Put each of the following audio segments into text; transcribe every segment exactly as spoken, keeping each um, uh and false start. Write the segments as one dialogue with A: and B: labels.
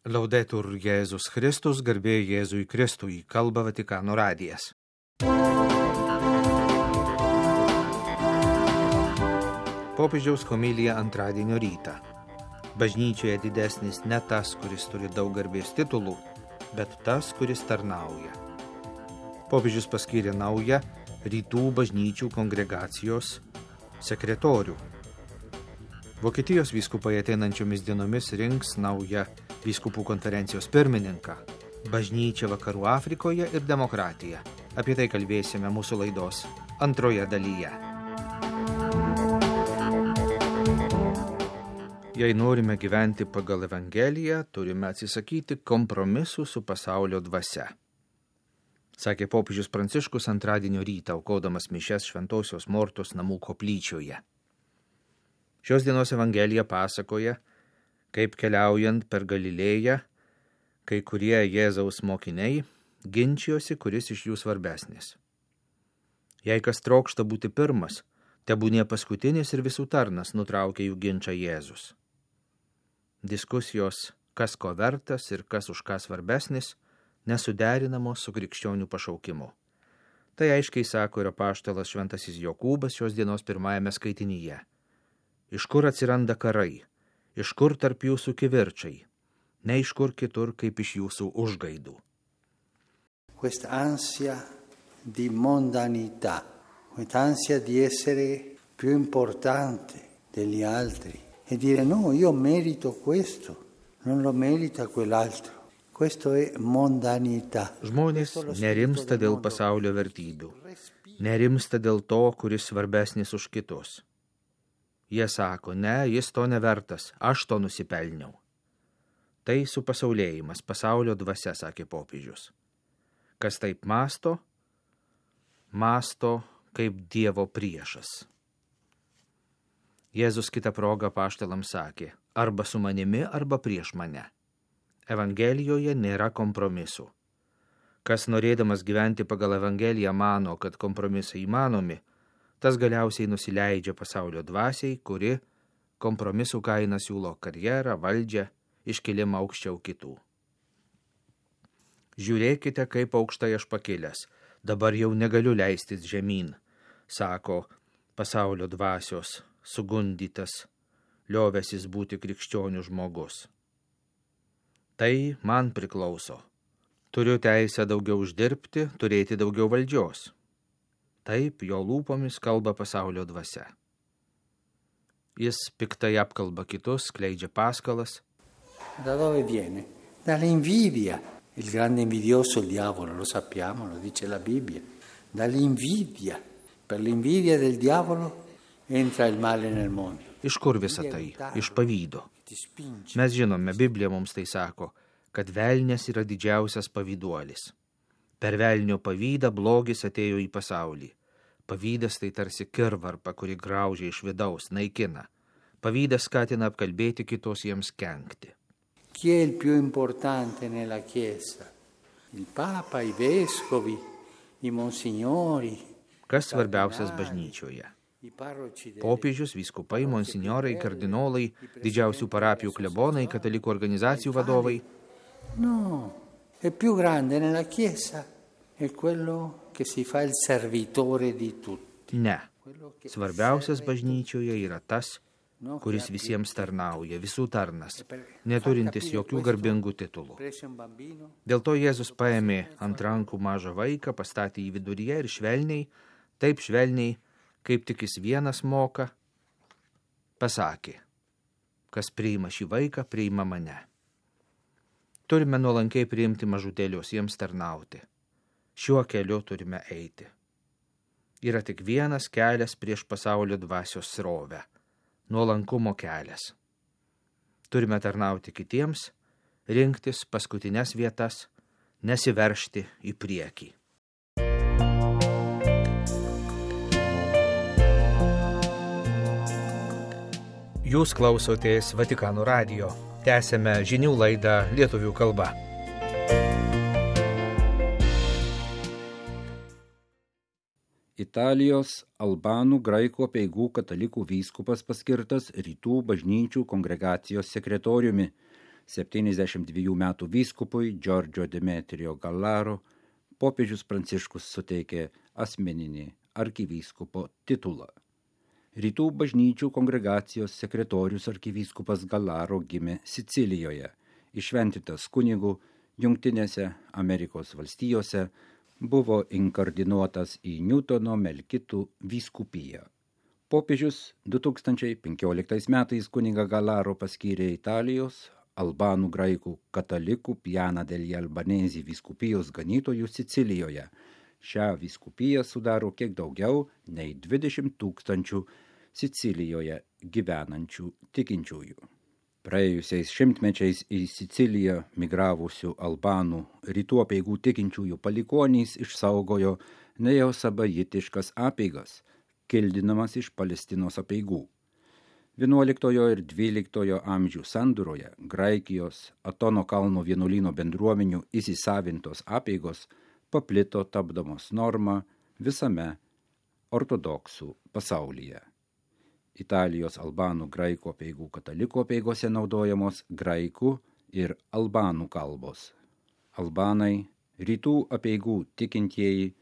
A: Laudetur Jėzus Kristus, garbė Jėzui Kristui, kalba Vatikano radijas. Popiežiaus homilija antradienio rytą. Bažnyčioje didesnis ne tas, kuris turi daug garbės titulų, bet tas, kuris tarnauja. Popiežius paskyrė naują rytų bažnyčių kongregacijos sekretorių. Vokietijos vyskupai ateinančiomis dienomis rinks naują vyskupų konferencijos pirmininką, bažnyčią Vakarų Afrikoje ir demokratiją. Apie tai kalbėsime mūsų laidos antroje dalyje. Jei norime gyventi pagal Evangeliją, turime atsisakyti kompromisų su pasaulio dvasia, sakė popiežius Pranciškus antradienio rytą, aukodamas mišias Šventosios Mortos namų koplyčioje. Šios dienos Evangelija pasakoja, kaip keliaujant per Galilėją, kai kurie Jėzaus mokiniai ginčijosi, kuris iš jų svarbesnis. Jei kas trokšta būti pirmas, tebūnie paskutinis ir visų tarnas, nutraukė jų ginčą Jėzus. Diskusijos, kas ko vertas ir kas už ką svarbesnis, nesuderinamos su krikščionių pašaukimu. Tai aiškiai sako ir apaštalas Šventasis Jokūbas šios dienos pirmajame skaitinyje. Iš kur atsiranda karai? Iš kur tarp jūsų kivirčiai? Ne iš kur kitur, kaip iš jūsų užgaidų.
B: Questa ansia di mondanità, questa ansia di essere più importante degli altri e dire no, io merito questo, non lo merita quell'altro. Questo è mondanità.
A: Žmonės nerimsta dėl pasaulio vertybių, nerimsta dėl to, kuris svarbesnis už kitus. Jie sako, ne, jis to nevertas, aš to nusipelniau. Tai supasaulėjimas, pasaulio dvasia, sakė popiežius. Kas taip masto, masto kaip Dievo priešas. Jėzus kitą progą apaštalams sakė, arba su manimi, arba prieš mane. Evangelijoje nėra kompromisų. Kas norėdamas gyventi pagal Evangeliją mano, kad kompromisai įmanomi, tas galiausiai nusileidžia pasaulio dvasiai, kuri kompromisų kaina siūlo karjerą, valdžią, iškilimą aukščiau kitų. Žiūrėkite, kaip aukštai aš pakilęs, dabar jau negaliu leistis žemyn, sako pasaulio dvasios sugundytas, liovęsis būti krikščionių žmogus. Tai man priklauso. Turiu teisę daugiau uždirbti, turėti daugiau valdžios. Taip, jo lūpomis kalba pasaulio dvasia. Jis piktai apkalba kitus, skleidžia paskalas.
B: Da dove viene? Dall'invidia. Il grande invidioso, il diavolo, lo sappiamo, lo dice la Bibbia. Dall'invidia. Per l'invidia del diavolo entra il male nel mondo.
A: Iš kur visa tai? Iš pavydo. Mes žinome, Biblija mums tai sako, kad velnias yra didžiausias pavyduolis. Per velnio pavydą blogis atėjo į pasaulį. Pavydas tai tarsi kirvarpa, kuri graužia iš vidaus, naikina. Pavydas skatina apkalbėti kitos jiems kenkti.
B: Chi è il più importante nella Chiesa? Il Papa, i vescovi, i monsignori.
A: Kas svarbiausias bažnyčioje? Popiežius, vyskupai, monsinjorai, kardinolai, didžiausių parapijų klebonai, katalikų organizacijų vadovai.
B: No. Il più grande nella Chiesa è quello che si fa il servitore di tutti.
A: Ne. Svarbiausias bažnyčioje yra tas, kuris visiems tarnauja, visų tarnas, neturintis jokių garbingų titulų. Dėl to Jėzus paėmė ant rankų mažą vaiką, pastatė jį viduryje ir švelniai, taip švelniai, kaip tik jis vienas moka, pasakė, kas priima šį vaiką, priima mane. Turime nuolankiai priimti mažutėlius, jiems tarnauti. Šiuo keliu turime eiti. Yra tik vienas kelias prieš pasaulio dvasios srovę – nuolankumo kelias. Turime tarnauti kitiems, rinktis paskutines vietas, nesiveržti į priekį. Jūs klausotės Vatikano radijo. Tęsėme žinių laidą lietuvių kalba.
C: Italijos albanų graikų apeigų katalikų vyskupas paskirtas rytų bažnyčių kongregacijos sekretoriumi. septyniasdešimt dviejų metų vyskupui Giorgio Demetrio Gallaro popiežius Pranciškus suteikė asmeninį arkivyskupo titulą. Rytų bažnyčių kongregacijos sekretorius arkivyskupas Gallaro gimė Sicilijoje, įšventintas kunigų Jungtinėse Amerikos valstijose, buvo inkardinuotas į Newtono Melkitų vyskupiją. Popiežius du tūkstančiai penkioliktais metais kunigą Gallaro paskyrė Italijos, albanų graikų katalikų Piana degli Albanesi vyskupijos ganytojų Sicilijoje. Šią vyskupiją sudaro kiek daugiau nei dvidešimt tūkstančių Sicilijoje gyvenančių tikinčiųjų. Praėjusiais šimtmečiais į Siciliją migravusių albanų rytų apeigų tikinčiųjų palikuonys išsaugojo neosabajitiškas apeigas, kildinamas iš Palestinos apeigų. vienuoliktojo ir dvyliktojo amžių sandūroje Graikijos Atono kalno vienuolyno bendruomenių įsisavintos apeigos paplito tapdamos norma visame ortodoksų pasaulyje. Italijos albanų graikų apeigų katalikų apeigose naudojamos graikų ir albanų kalbos. Albanai, rytų apeigų tikintieji,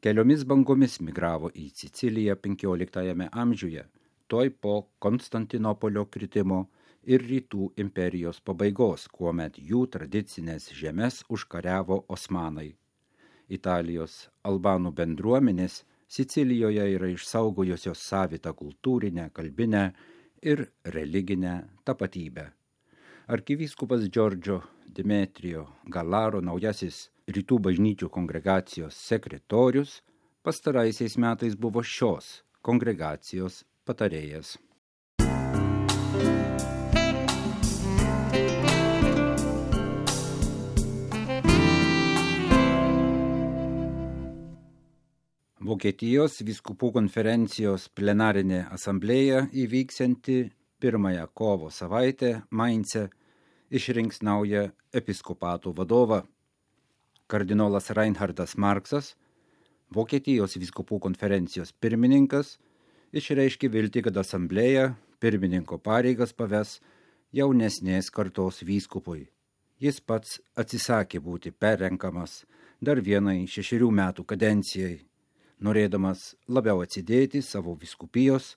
C: keliomis bangomis migravo į Siciliją penkioliktajame amžiuje, toj po Konstantinopolio kritimo ir rytų imperijos pabaigos, kuomet jų tradicinės žemes užkariavo osmanai. Italijos albanų bendruomenės Sicilijoje yra išsaugojusios savitą kultūrinę, kalbinę ir religinę tapatybę. Arkivyskupas Giorgio Demetrio Gallaro naujasis rytų bažnyčių kongregacijos sekretorius pastaraisiais metais buvo šios kongregacijos patarėjas. Vokietijos vyskupų konferencijos plenarinė asamblėja įvyksianti pirmąją kovo savaitę Maince išrinks naują episkopatų vadovą. Kardinolas Reinhardas Marksas, Vokietijos vyskupų konferencijos pirmininkas, išreiškė viltį, kad asamblėja pirmininko pareigas paves jaunesnės kartos vyskupui. Jis pats atsisakė būti perrenkamas dar vienai šešerių metų kadencijai, norėdamas labiau atsidėti savo vyskupijos,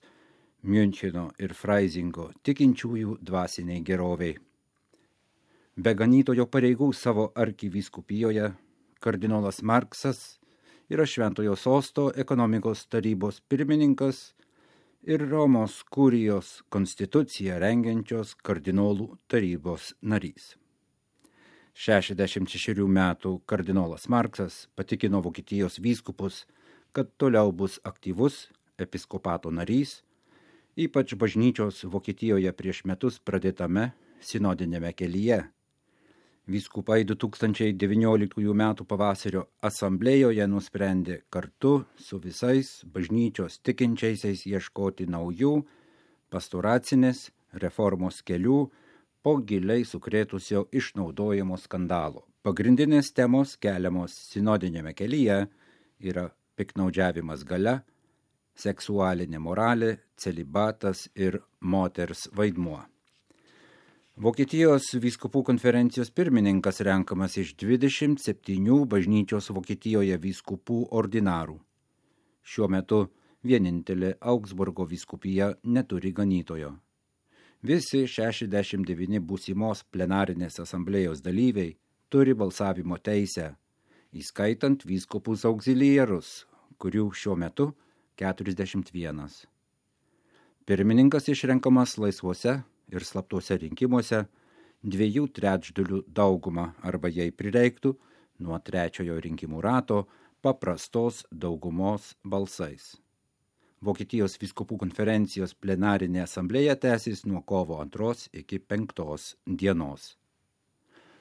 C: Miuncheno ir Freisingo tikinčiųjų dvasiniai geroviai. Be ganytojo pareigų savo arkivyskupijoje, kardinolas Marksas yra Šventojo sosto ekonomikos tarybos pirmininkas ir Romos kurijos konstituciją rengiančios kardinolų tarybos narys. šešiasdešimt šešerių metų kardinolas Marksas patikino Vokietijos vyskupus, kad toliau bus aktyvus episkopato narys, ypač bažnyčios Vokietijoje prieš metus pradėtame sinodinėme kelyje. Vyskupai du tūkstančiai devynioliktųjų metų pavasario asamblėjoje nusprendė kartu su visais bažnyčios tikinčiaisiais ieškoti naujų pastoracinės reformos kelių po giliai sukrėtusio išnaudojimo skandalo. Pagrindinės temos keliamos sinodinėme kelyje yra piktnaudžiavimas galia, seksualinė moralė, celibatas ir moters vaidmuo. Vokietijos vyskupų konferencijos pirmininkas renkamas iš dvidešimt septynių bažnyčios Vokietijoje vyskupų ordinarų. Šiuo metu vienintelė Augsburgo vyskupija neturi ganytojo. Visi šešiasdešimt devyni būsimos plenarinės asamblėjos dalyviai turi balsavimo teisę, įskaitant vyskupus auxiliarus, kurių šiuo metu keturiasdešimt vienas. Pirmininkas išrenkamas laisvuose ir slaptuose rinkimuose dviejų trečdalių daugumą arba jei prireiktų nuo trečiojo rinkimų rato paprastos daugumos balsais. Vokietijos vyskupų konferencijos plenarinė asamblėja tęsis nuo kovo antros iki penktos dienos.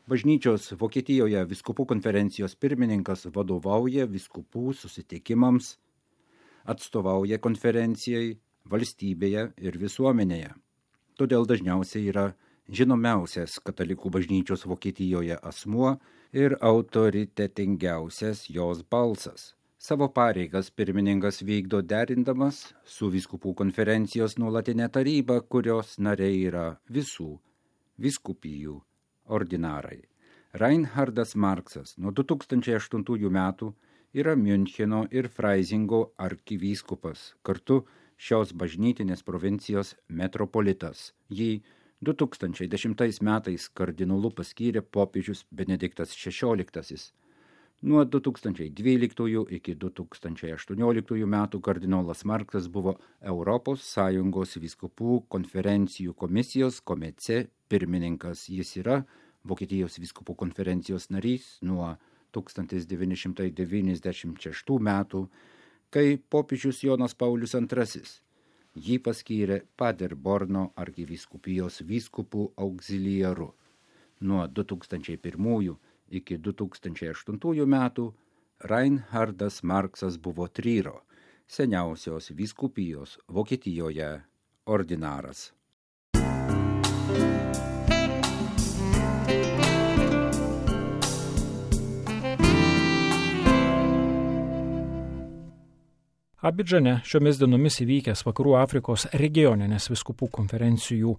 C: Bažnyčios Vokietijoje vyskupų konferencijos pirmininkas vadovauja vyskupų susitikimams, atstovauja konferencijai valstybėje ir visuomenėje. Todėl dažniausiai yra žinomiausias katalikų bažnyčios Vokietijoje asmuo ir autoritetingiausias jos balsas. Savo pareigas pirmininkas vykdo derindamas su vyskupų konferencijos nuolatinė taryba, kurios nariai yra visų vyskupijų ordinarai. Reinhardas Marksas nuo du tūkstančiai aštuntųjų metų yra Miuncheno ir Freisingo arkivyskupas, kartu šios bažnytinės provincijos metropolitas. Jį du tūkstančiai dešimtais metais kardinolu paskyrė popiežius Benediktas šešioliktasis. Nuo du tūkstančiai dvyliktųjų iki du tūkstančiai aštuonioliktųjų metų kardinolas Marksas buvo Europos Sąjungos vyskupų konferencijų komisijos komece pirmininkas. Jis yra Vokietijos vyskupų konferencijos narys nuo tūkstantis devyni šimtai devyniasdešimt šeštų metų, kai popiežius Jonas Paulius antrasis jį paskyrė Paderborno arkivyskupijos vyskupų auxiliaru. Nuo du tūkstančiai pirmųjų iki du tūkstančiai aštuntųjų metų Reinhardas Marksas buvo Tryro, seniausios vyskupijos Vokietijoje ordinaras.
D: Abidžane šiomis dienomis įvykęs Vakarų Afrikos regioninės vyskupų konferencijų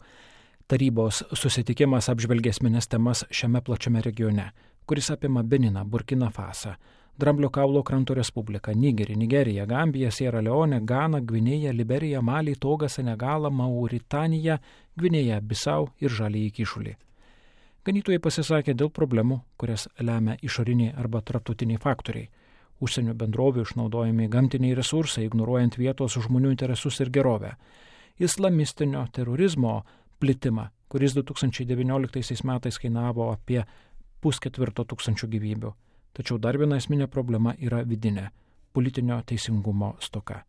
D: tarybos susitikimas apžvelgė esmines temas šiame plačiame regione, kuris apima Beniną, Burkina Fasą, Dramblio kaulo kranto Respubliką, Nigerį, Nigeriją, Gambiją, Sierra Leone, Ganą, Gvinėją, Liberiją, Malį, Togą, Senegalą, Mauritaniją, Gvinėją, Bisau ir Žaliąjį Kyšulį. Ganytojai pasisakė dėl problemų, kurias lemia išoriniai arba tarptautiniai faktoriai. Užsienio bendrovių išnaudojami gamtiniai resursai, ignoruojant vietos žmonių interesus ir gerovę. Islamistinio terorizmo plitimą, kuris du tūkstančiai devynioliktaisiais metais kainavo apie pusketvirto tūkstančių gyvybių. Tačiau dar viena esminė problema yra vidinė – politinio teisingumo stoka.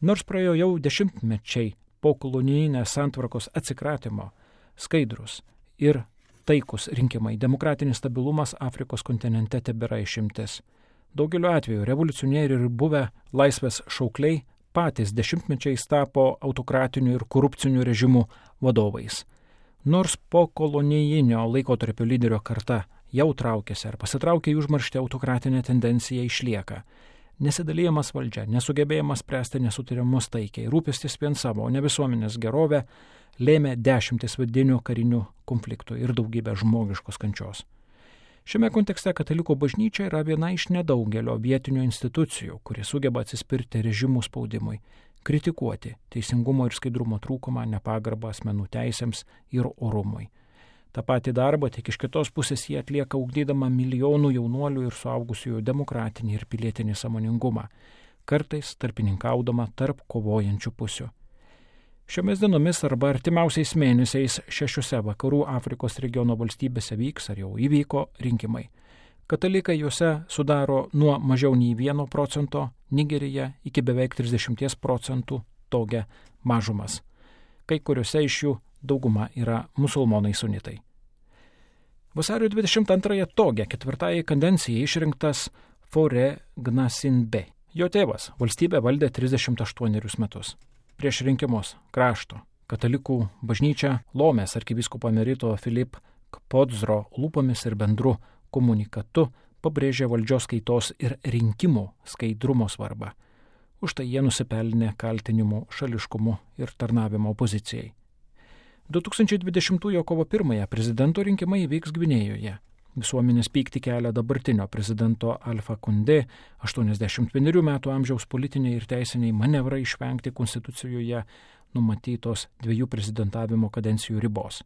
D: Nors praėjo jau dešimtmečiai po kolonijinės santvarkos atsikratymo, skaidrus ir taikus rinkimai, demokratinis stabilumas Afrikos kontinente tebėra išimtis. Daugeliu atveju revoliucionieriai ir buvę laisvės šaukliai patys dešimtmečiais tapo autokratinių ir korupcinių režimų vadovais. Nors po kolonijinio laikotarpio lyderio karta jau traukėsi ar pasitraukė į užmarštį, autokratinė tendencija išlieka. Nesidalyjamas valdžia, nesugebėjimas spręsti nesutarimus taikiai, rūpestis vien savo, o ne visuomenės gerovė, lėmė dešimtis vidinių karinių konfliktų ir daugybę žmogiškos kančios. Šiame kontekste katalikų bažnyčia yra viena iš nedaugelio vietinių institucijų, kurie sugeba atsispirti režimų spaudimui, kritikuoti teisingumo ir skaidrumo trūkumą, nepagarbą asmenų teisėms ir orumui. Ta pati darbą tik iš kitos pusės jie atlieka ugdydama milijonų jaunuolių ir suaugusiųjų demokratinį ir pilietinį sąmoningumą, kartais tarpininkaudama tarp kovojančių pusių. Šiomis dienomis arba artimiausiais mėnesiais šešiose Vakarų Afrikos regiono valstybėse vyks ar jau įvyko rinkimai. Katalikai juose sudaro nuo mažiau nei vieno procento, Nigerija iki beveik trisdešimt procentų, Toge mažumas. Kai kuriuose iš jų dauguma yra musulmonai sunitai. Vasario dvidešimt antrąją Toge ketvirtąjį kadenciją išrinktas Faure Gnassingbé. Jo tėvas valstybę valdė trisdešimt aštuonerius metus. Prieš rinkimus krašto katalikų bažnyčia Lomės arkivyskupo emerito Filip Kpodzro lūpomis ir bendru komunikatu pabrėžė valdžios kaitos ir rinkimų skaidrumo svarbą. Už tai jie nusipelnė kaltinimų šališkumu ir tarnavimo opozicijai. du tūkstančiai dvidešimtųjų kovo pirmąją prezidento rinkimai įvyks Gvinėjoje. Visuomenės pyktį kelia dabartinio prezidento Alfa Condé, aštuoniasdešimt vienerių metų amžiaus politiniai ir teisiniai manevrai išvengti konstitucijoje numatytos dviejų prezidentavimo kadencijų ribos.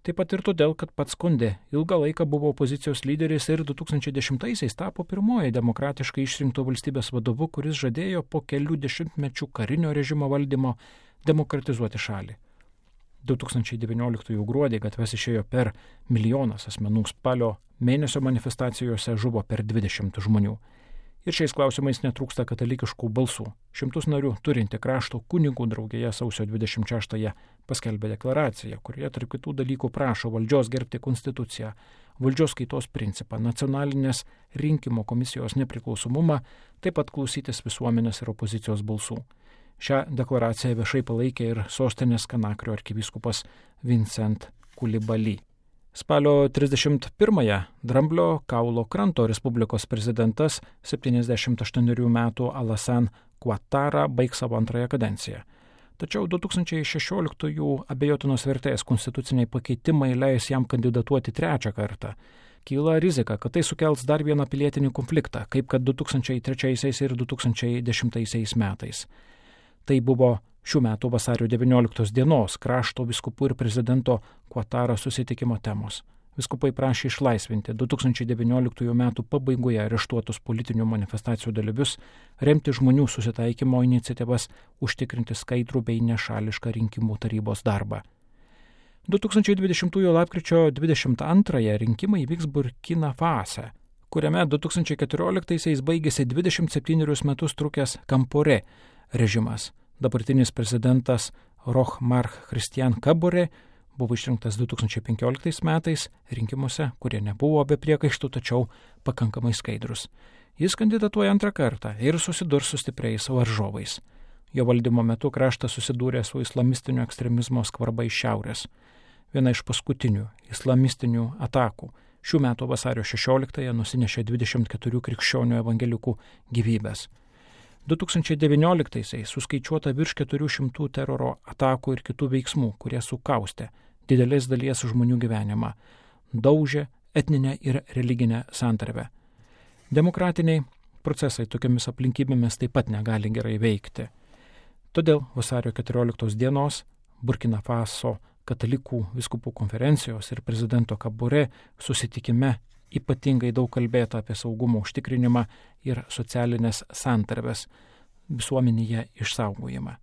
D: Taip pat ir todėl, kad pats Condé ilgą laiką buvo opozicijos lyderis ir du tūkstančiai dešimtaisiais tapo pirmoji demokratiškai išrinkto valstybės vadovu, kuris žadėjo po kelių dešimtmečių karinio režimo valdymo demokratizuoti šalį. du tūkstančiai devynioliktųjų gruodį gatves išėjo per milijonas asmenų, spalio mėnesio manifestacijose žuvo per dvidešimt žmonių. Ir šiais klausimais netrūksta katalikiškų balsų. Šimtus narių turinti krašto kunigų draugija sausio dvidešimt šeštąją paskelbė deklaraciją, kurioje tarp kitų dalykų prašo valdžios gerbti konstituciją, valdžios kaitos principą, nacionalinės rinkimo komisijos nepriklausomumą, taip pat klausytis visuomenės ir opozicijos balsų. Šią deklaraciją viešai palaikė ir sostinės Kanakrio arkivyskupas Vincent Koulibaly. Spalio trisdešimt pirmąją Dramblio kaulo kranto Respublikos prezidentas septyniasdešimt aštuonerių metų Alassane Ouattara baigs savo antrąją kadenciją. Tačiau du tūkstančiai šešioliktųjų abejotinos vertės konstituciniai pakeitimai leis jam kandidatuoti trečią kartą. Kyla rizika, kad tai sukels dar vieną pilietinį konfliktą, kaip kad du tūkstančiai trečiaisiais ir du tūkstančiai dešimtaisiais metais. Tai buvo šių metų vasario devynioliktos dienos krašto vyskupų ir prezidento Kuataro susitikimo temos. Vyskupai prašė išlaisvinti du tūkstančiai devynioliktųjų metų pabaigoje areštuotus politinių manifestacijų dalyvius, remti žmonių susitaikymo iniciatyvas, užtikrinti skaidrų bei nešališką rinkimų tarybos darbą. du tūkstančiai dvidešimtųjų lapkričio dvidešimt antrąją rinkimai vyks Burkina Fase, kuriame du tūkstančiai keturioliktaisiais baigėsi dvidešimt septynerius metus trukęs Kampore režimas. Dabartinis prezidentas Roch Marc Christian Kabore buvo išrinktas du tūkstančiai penkioliktais metais rinkimuose, kurie nebuvo be priekaištų, tačiau pakankamai skaidrus. Jis kandidatuoja antrą kartą ir susidurs su stipriais varžovais. Jo valdymo metu kraštas susidūrė su islamistinio ekstremizmo skvarba iš šiaurės. Viena iš paskutinių islamistinių atakų šių metų vasario šešioliktąją nusinešė dvidešimt keturių krikščionių evangelikų gyvybės. du tūkstančiai devynioliktaisiais suskaičiuota virš keturių šimtų teroro atakų ir kitų veiksmų, kurie sukaustė didelės dalies žmonių gyvenimą, daužė etninę ir religinę santarvę. Demokratiniai procesai tokiamis aplinkybėmis taip pat negali gerai veikti. Todėl vasario keturioliktos dienos Burkina Faso katalikų vyskupų konferencijos ir prezidento Kabore susitikime ypatingai daug kalbėta apie saugumo užtikrinimą ir socialinės santarvės visuomenėje išsaugojimą.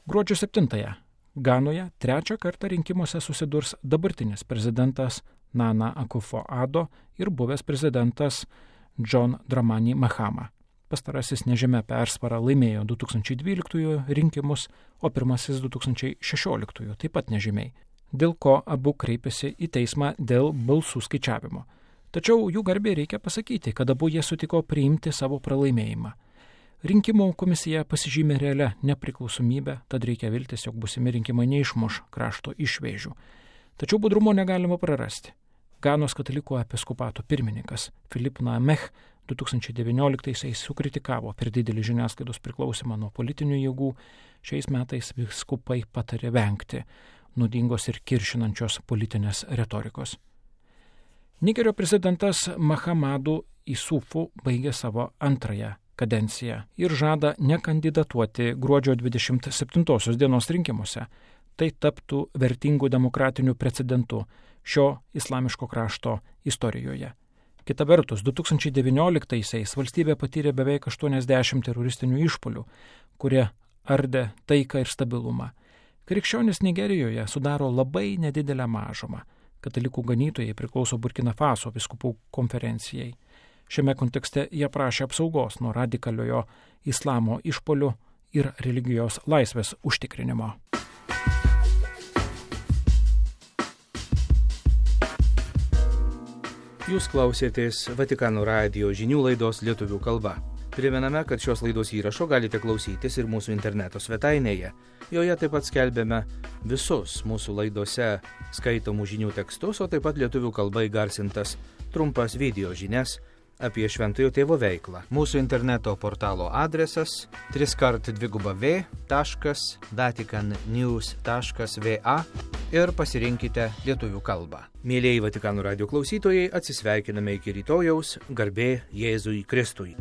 D: Gruodžio septintąją Ganoje trečią kartą rinkimuose susidurs dabartinis prezidentas Nana Akufo-Addo ir buvęs prezidentas John Dramani Mahama. Pastarasis nežymia persvara laimėjo du tūkstančiai dvyliktųjų rinkimus, o pirmasis du tūkstančiai šešioliktųjų taip pat nežymiai, dėl ko abu kreipėsi į teismą dėl balsų skaičiavimo. Tačiau jų garbė reikia pasakyti, kad abu jie sutiko priimti savo pralaimėjimą. Rinkimų komisija pasižymė realią nepriklausomybę, tad reikia viltis, jog busimi rinkimai neišmuš krašto išvėžių. Tačiau budrumo negalima prarasti. Ganos katalikų episkopato pirmininkas Philippe Nameh du tūkstančiai devynioliktaisiais sukritikavo per didelį žiniasklaidos priklausimą nuo politinių jėgų. Šiais metais vyskupai patarė vengti nuodingos ir kiršinančios politinės retorikos. Nigerio prezidentas Mahamadu Isufu baigė savo antrąją kadenciją ir žada nekandidatuoti gruodžio dvidešimt septintosios dienos rinkimuose. Tai taptų vertingų demokratinių precedentų šio islamiško krašto istorijoje. Kita vertus, du tūkstančiai devynioliktaisiais valstybė patyrė beveik aštuoniasdešimt teroristinių išpuolių, kurie ardė taiką ir stabilumą. Krikščionys Nigerijoje sudaro labai nedidelę mažumą. Katalikų ganytojai priklauso Burkina Faso vyskupų konferencijai. Šiame kontekste jie prašė apsaugos nuo radikaliojo islamo išpuolių ir religijos laisvės užtikrinimo.
A: Jūs klausėtės Vatikano radijo žinių laidos lietuvių kalba. Primename, kad šios laidos įrašo galite klausytis ir mūsų interneto svetainėje. Joje taip pat skelbėme visus mūsų laidose skaitomų žinių tekstus, o taip pat lietuvių kalba įgarsintas trumpas video žinias apie Šventojo Tėvo veiklą. Mūsų interneto portalo adresas w w w taškas vatican news taškas v a ir pasirinkite lietuvių kalbą. Mėlieji Vatikano radijo klausytojai, atsisveikiname iki rytojaus, garbė Jėzui Kristui.